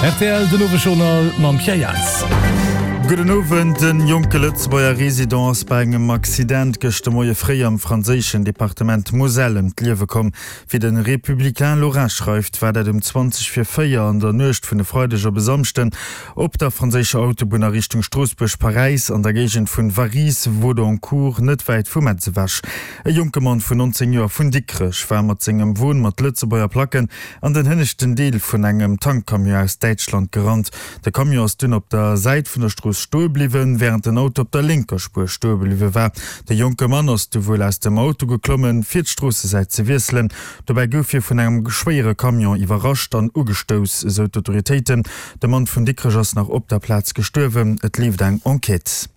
Rtl, den Owesjournal mam Pierre Jans. Gudden Owend. En jonke Lëtzebuerger Resident ass bei engem Accident gëschter Moie fréi am franséischen Departement Moselle ëm d'Liewe komm. Wéi de Républicain Lorrain schreift, war dat um 20 vir 4 an der Nuecht vun e Freideg op e Samschden op der franséischer Autobunn a Richtung Stroossbuerg-Paräis an der Géigend vun Varilhes-Vaudoncourt, net wäit vu Metz ewech. E jonke Mann vun 19 Joer vun Dikrech war mat sengem Won mat Lëtzebuerger Placken an den hënneschten Deel vun engem Tankcamion aus Däitschland gerannt. De Camion ass dunn op der Säit vun der Strooss stoe bliwwen, wärend den Auto op der lénker Spuer stoe bliwwe war. De jonke Mann ass du wuel aus dem Auto geklommen, fir d'Stroossesäit ze wiesselen. Dobäi gouf hie vun engem schwéiere Camion iwwerrascht an ugestouss, esou d'Autoritéiten. De Mann vun Dikrech ass nach op der Plaz gestuerwen. Et leeft eng Enquête.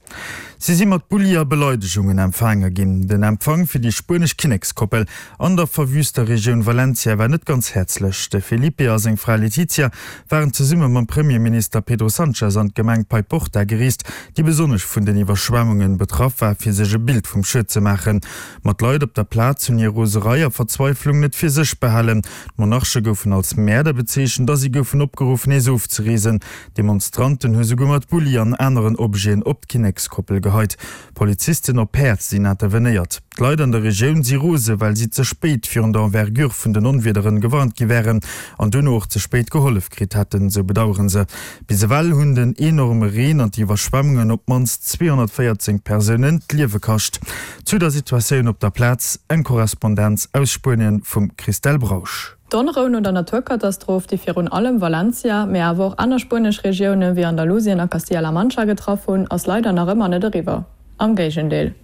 Si si mat Bulli a Beleidegungen empfaange ginn. Den Empfang fir déi spuenesch Kinnekskoppel an der verwüster Regioun Valencia war net ganz häerzlech. De Felipe a seng Fra Letizia waren zesumme mam Premierminister Pedro Sanchez an d'Gemeng Paiporta gereest, déi besonnesch vun den Iwwerschwemmunge betraff war, fir sech e Bild vum Schued ze maachen. Ma d'Leit op der Plaz hunn hir Roserei a Verzweiflung net fir sech behalen. D'Monarche goufen als Mäerder bezeechent a si goufen opgeruff, nees ofzereesen. Demonstranten hu souguer mat Bulli an aneren Objeten op d'Kinnekskoppel geheit. Polizisten op Päerd sinn intervenéiert. D'Leit an der Regioun si rose well si ze spéit virun der Envergure vun den Onwiederen gewarnt gi wären an duerno och ze spéit gehollef kritt hätten, sou bedauere se. Bis ewell hunn den enorme Reen an d'Iwwerschwemmungen op d'mannst 214 Persounen d'Liewe kascht. Zu der Situatioun op der Plaz eng Korrespondenz aus Spuenien vum Christelle Brausch. D'Onrou no der Naturkatastroph, déi virun allem Valencia, mee awer och aner spuenesch Regioune wéi Andalusien a Castilla-La Mancha getraff hunn, ass leider nach ëmmer net eriwwer. Am Géigendeel.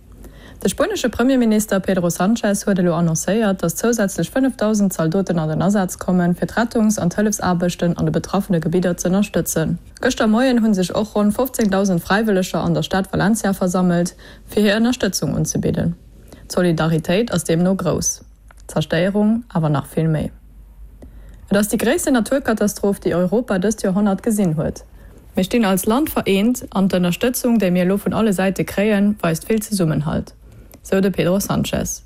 De spuenesche Premierminister Pedro Sanchez huet elo annoncéiert, datt zousätzlech 5.000 Zaldoten an den Asaz kommen, fir d'Rettungs an d'Hëllefsaarbechten an de betraffene Gebidder z'ënnerstëtzen. Gëschter Moien hu sech och ronn 15.000 Fräiwëlleger an der Stad Valencia versammelt, fir hir Ënnerstëtzung unzebidden. D'Solidaritéit ass deemno grouss. D'Zerstéierung awer nach vill méi. Et ass déi gréissten Naturkatastroph, déi Europa dëst Joerhonnert gesinn huet. Mir stinn als Land vereent an d'Ënnerstëtzung, déi mir elo vun alle Säite kréien, weist vill Zesummenhalt, sou de Pedro Sanchez.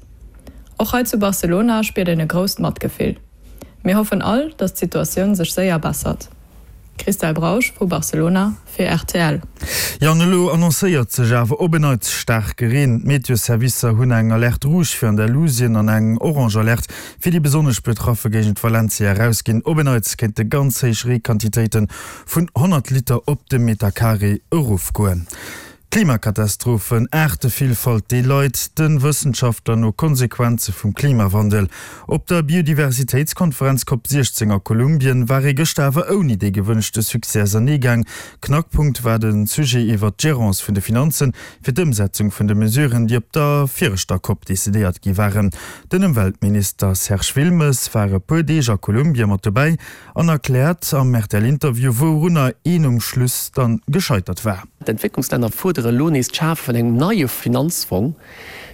Och hei zu Barcelona spiert een e grousst Matgefill. Mir hoffen all, datt d'Situatioun sech séier bessert. Christelle Brausch vu Barcelona fir rtl. Jo, an elo annoncéiert sech awer op en Neits staarke Reen. D'Meteoservicer hunn eng Alerte rouge fir Andalusien an eng orange Alerte fir déi besonnesch betraffe Géigend Valencia erausginn. Op en Neits kéinte ganz héich Reequantitéite vun 100 Liter op de Metercarré erofgoen. Klimakatastrophen, Aartevillfalt, déi leit de Wëssenschaftler no Konsequenze vum Klimawandel. Op der Biodiversitéitskonferenz Cop 16 a Kolumbien war ee gëschter awer ouni dee gewënschte Succès ausernee gaang. Knackpunkt war de Sujet iwwert d'Gerance vun de Finanzen fir d'Ëmsetzung vun de Mesuren, déi op der viregter Cop decidéiert gi waren. Den Ëmweltminister Serge Wilmes war e puer Deeg a Kolumbien mat dobäi an erkläert am RTL-Interview, wourunner een um Schluss dann gescheitert war. D'Entwécklungslänner fuerdere elo nees d'Schafe vun engem neie Finanzfong,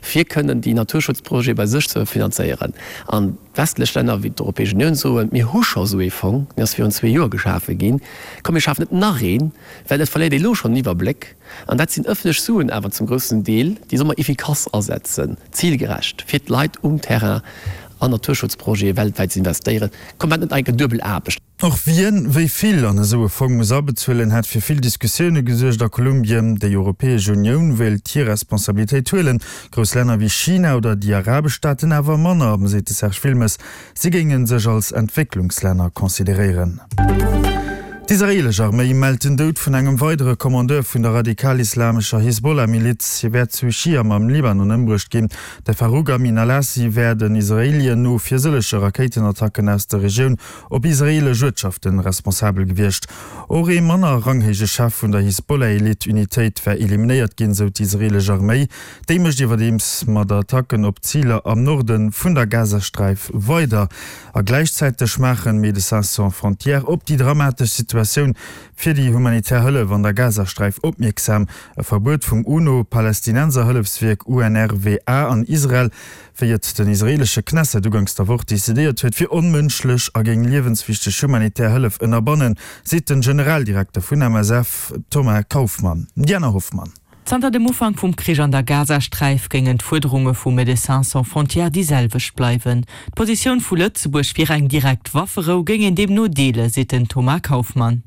fir kënnen déi Naturschutzprojete bei sech ze finanzéieren. An d'westlech Länner, wéi d'Europäesch Unioun, soen, Mir hu scho esou ee Fong, deen ass virun zwee Joer geschafe ginn, komm mir schafen net nach een, well et verléiert ee elo schonn den Iwwerbléck. An dat sinn ëffentlech Suen awer zum groussen Deel, déi solle mer efficace asetzen, zilgerecht, fir d'Leit um Terrain an Naturschutzprojete weltwäit ze investéieren. Komm, wat net enke duebel Aarbecht. Och wien wéi vill an esou e Fong muss abezuelen, hätt fir vill Diskussioune gesuergt a Kolumbien. Déi Europäesch Unioun wéilt hir Responsabilitéit huelen, grouss Länner wéi China oder déi arabesch Staaten awer manner, seet de Serge Wilmes. Si géinge sech als Entwécklungslänner consideréieren. D'israeelesch Arméi mellt den Doud vun engem weidere Kommandeur vun der radikal-islamescher Hisbollah-Miliz. Hie wär zu Chiam am Libanon ëmbruecht ginn. De Farouk Amin al-Assi wär den Israeelien no fir sëllege Rakéitenattacken aus der Regioun op israeelesch Uertschaften responsabel gewiescht. Och ee manner ranghéije Chef vun der Hisbollah-Elite-Unitéit wär eliminéiert ginn, sou d'israeelesch Arméi. Déi mécht iwwerdeems mat Attacken op Ziler am Norde vun der Gazasträif weider. A gläichzäiteg maachen Médecins Sans Frontières op déi dramatesch Situatioun fir déi humanitär Hëllef an der Gazasträif opmierksam. E Verbuet vum UNO-Palästinenserhëllefswierk UNRWA an Israel, wéi et den israeelesche Knesset uganks der Woch decidéiert huet, wier onmënschlech a géing liewenswichteg humanitär Hëllef ënnerbannen, seet den Generaldirekter vun MSF Thomas Kauffmann. Diana Hoffmann. Zanter dem Ufank vum Krich an der Gazasträif géingen d'Fuerderunge vu Médecins sans frontières déi selwecht bleiwen. D'Positioun vu Lëtzebuerg fir eng direkt Wafferou géing een deemno deelen, seet den Thomas Kauffmann.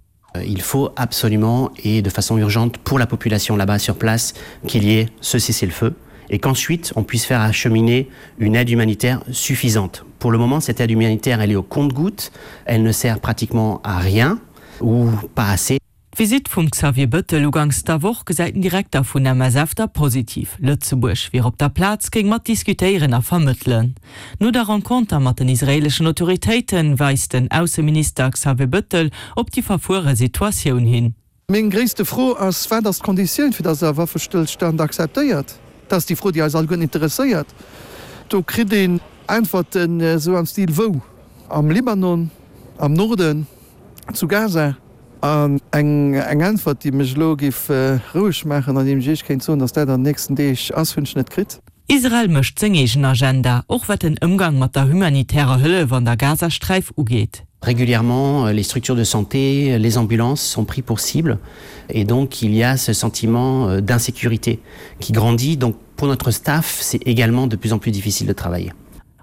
Il faut absolument et de façon urgente pour la population là-bas sur place qu'il y ait ce cessez-le-feu et qu'ensuite on puisse faire acheminer une aide humanitaire suffisante. Pour le moment, cette aide humanitaire elle est au compte-gouttes, elle ne sert pratiquement à rien ou pas assez. D'Visitt vum Xavier Bëttel uganks der Woch gesäit den Direkter vun MSF da positiv. Lëtzebuerg wier op der Plaz, géing mat diskutéieren a vermëttelen. No der Renconter mat den israeeleschen Autoritéite weist den Ausseminister Xavier Bëttel op déi verfuere Situatioun hin. Meng gréisste Fro ass, Wat ass d'Konditioun, fir datt Der e Waffestëllstand akzeptéiert? Dat ass déi Fro, déi eis alleguerten interesséiert. Do kritt een Äntwerten esou am Stil, Wou? Am Libanon? Am Norden? Zu Gaza? An eng Äntwert, déi mech elo géif roueg maachen an déi ech Iech kéint soen, datt dat an den nächsten Deeg ass, hunn ech net kritt. Israel mécht seng eegen Agenda, och wat den Ëmgang mat der humanitärer Hëllef an der Gazasträif ugeet. Régulièrement, les structures de santé, les ambulances sont pris pour cible et donc il y a ce sentiment d'insécurité qui grandit. Donc pour notre staff, c'est également de plus en plus difficile de travailler.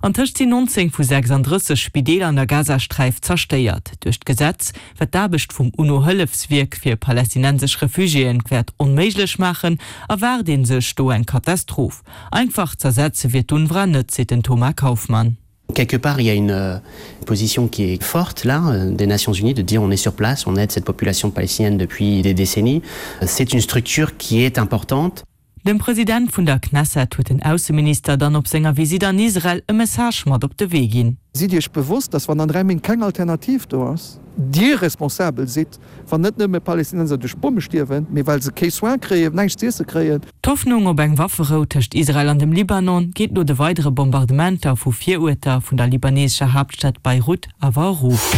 Antëscht sinn 19 vu 36 Spideeler an der Gazasträif zerstéiert. Duerch d'Gesetz, wat d'Aarbecht vum UNO-Hëllefswierk fir palästinensesch Refugiéen wäert onméiglech maachen, erwaart ee sech do eng Katastroph. Einfach z'ersetze wier d'UNRWA net, seet den Thomas Kauffmann. Quelque part, il y a une euh, position qui est forte là euh, des Nations Unies de dire on est sur place, on aide cette population palestinienne depuis des décennies. C'est une structure qui est importante. Dem President vun der Knesset huet den Ausseminister dann op senger Visitt an Israel e Message mat op de Wee ginn. Sidd Iech bewosst, dass wann an 3 Méint keng Alternativ do ass, Dir responsabel sidd, wann net nëmme Palästinenser duerch Bomme stierwen, mee well se kee Soin kréien, näischt z'iesse kréien. D'Hoffnung op eng Wafferou tëscht Israel an dem Libanon geet no de weidere Bombardementer vu Viruerter vun der libanesescher Haaptstad Beirut awer erof.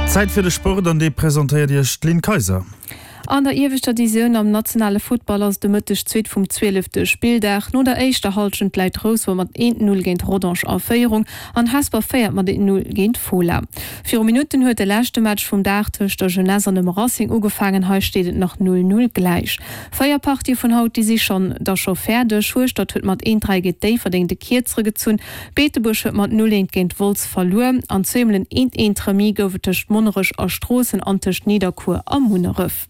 Zäit fir de Sport an dee presentéiert Iech d'Lynn Kayser. An der ieweschter Divisioun am nationale Futtball ass et de Mëtteg d'Suite vum zwielefte Spilldag. No der éischter Hallschent läit Rouspert mat 1, 0 géint Rodange a Féierung an Hesper féiert mat 1, 0 géint Fola. Viru Minutten huet de leschte Match vum Dag tëscht der Jeunesse an dem Racing ugefaangen. Hei steet et nach 0, 0 gläich. Véier Partië vun haut, déi si schonn da scho fäerdeg. Hueschtert huet mat 1, 3 géint Déifferdeng de Kierzere gezunn. Beetebuerg huet mat 0, 1 géint Wolz verluer an zweemol en 1, 1 Remis gouf et tëscht Monnerech a Stroossen an tëscht Nidderkuer a Munneref.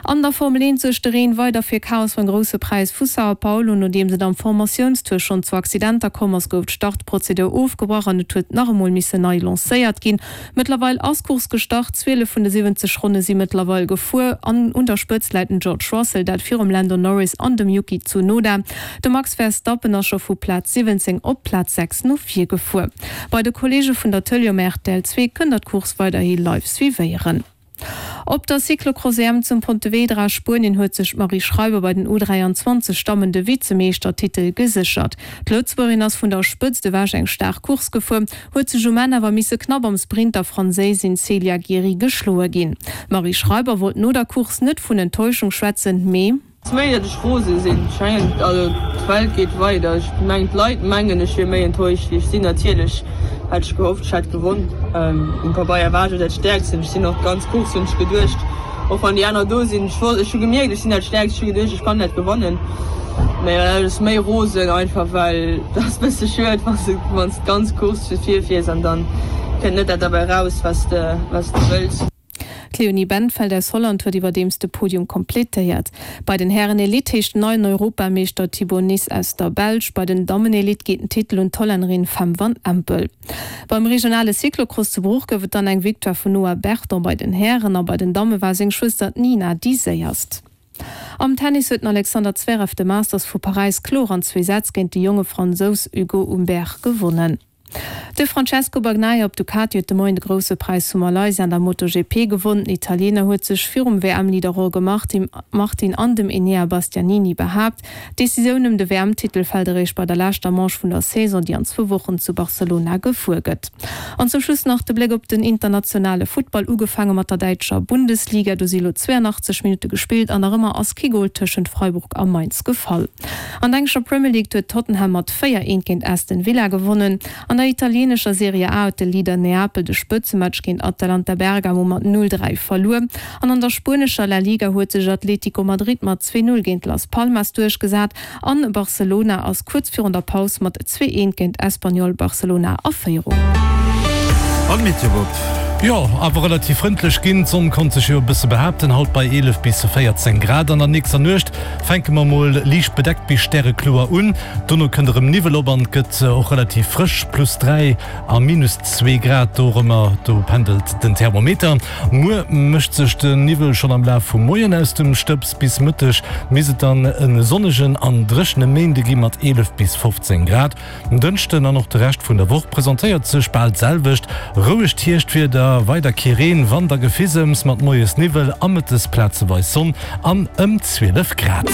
An der Formel 1 suergt de Reen weider fir Chaos beim Grousse Präis vu Sao Paulo. Nodeems et am Formatiounstour schonn zu Accidenter komm ass, gouf d'Startprozedur ofgebrach an et huet nach emol missen nei lancéiert ginn. Mëttlerweil ass d'Course gestart, 12 vun de 70 Ronne si mëttlerweil gefuer an un der Spëtzt läit den George Russell, dat virum Lando Norris an dem Yuki Tsunoda. De Max Verstappen ass scho vu Plaz 17 op Plaz 6 no vir gefuer. Bei de Kolleege vun der Tëlee um rtl 2 kënnt der d'Course weiderhi live suivéieren. Op der Cyclocross-EM zum Pontevedra a Spuenien huet sech d'Marie Schreiber bei den U 23 Dammen de Vizemeeschtertitel geséchert. D'Lëtzebuergerin ass vun der Spëtzt ewech eng staark Course gefuer, huet sech um Enn awer misse knapp am Sprint der Franséisin Célia Gery geschloe ginn. D'Marie Schreiber wollt no der Course net vun Enttäuschung schwätzen, mee. Ass méi dat ech rose sinn. Ech mengen also d'Welt geet weider. Ech mengen d'Leit mengen ech wier méi enttäuscht wéi ech sinn. Natierlech hat ech gehofft ech hätt gewonn. Um Pabeier war ech och dat Stäerksten. Ech sinn och d'ganz Course hunn ech geduecht, och wann déi aner do sinn, ech wollt ech hu gemierkt ech sinn dat Stäerkst, ech hu geduecht ech kann dat gewannen. Mee dat ass méi rosen einfach well dat ass bësse schued wann s de wann s d'ganz Course fir vir fiers an dann kënnt net dat derbäi raus wat s de wat s de wëlls. D'Leonie Bentveld aus Holland huet iwwerdeems de Podium kompletéiert. Bei den Hären Elite heescht den neien Europameeschter Thibau Nys aus der Belsch. Bei den Dammen Elite geet den Titel un d'Hollännerin Fem van Empel. Beim regionale Cyclocross zu Bruch gouf et dann eng Victoire vun Noah Berton bei den Hären a bei den Damme war seng Schwëster d'Nina déi séierst. Am Tennis huet den Alexander Zverev de Masters vu Paräis kloer an zwee Sätz géint de jonge Fransous Hugo Humbert gewonnen. De Francesco Bagnaia op Ducati huet de Moien de Grousse Präis vu Malaysia an der MotoGP gewonn. Den Italiener huet sech virum WM-Leader Jorge Martin an dem Enea Bastianini behaapt. D'Decisioun ëm de WM-Titel fält eréischt bei der leschter Manche vun der Saison, déi an zwou Wochen zu Barcelona gefuer gëtt. An zum Schluss nach de Bléck op den internationale Futtball, ugefaange mat der däitscher Bundesliga. Do si lo 82 Minutte gespillt an nach ëmmer ass kee Gol tëschent Freiburg a Mainz gefall. An der englescher Premier League huet Tottenham mat 4, 1 géint Aston Villa gewonnen. An der italieenescher Serie A huet de Leader Neapel de Spëtzematch géint Atalanta Bergamo mat 0, 3 verluer. An an der spuenescher La Liga huet sech Atlético Madrid mat 2, 0 géint Las Palmas duerchgesat an Barcelona ass kuerz virun der Paus mat 2, 1 géint Espanyol Barcelona a Féierung. An d'Meteobob. Jo, awer relativ frëndlech ginn. D'Sonn konnt sech jo e bësse behaapten, haut bei 11 bis 14 Grad. An der nächster Nuecht fänke mer mol liicht bedeckt bis stärekloer un, dono kënnt erëm Niwwel op an et gëtt och relativ frësch, plus 3 a minus 2 Grad dorëmmer, do pendelt den Thermometer. Muer mécht sech de Niwwel schonn am Laf vum Moien aus dem Stëbs, bis Mëtteg misst et dann e sonnegen an dréchene Méinde gi mat 11 bis 15 Grad. En Dënschden an och de Rescht vun der Woch presentéiert sech bal d'selwecht rouegt Hierschtwieder, weider kee Reen, Wand a Gefisems mat moies Niwwel a mëttes plazeweis Sonn an ëm 12 Grad.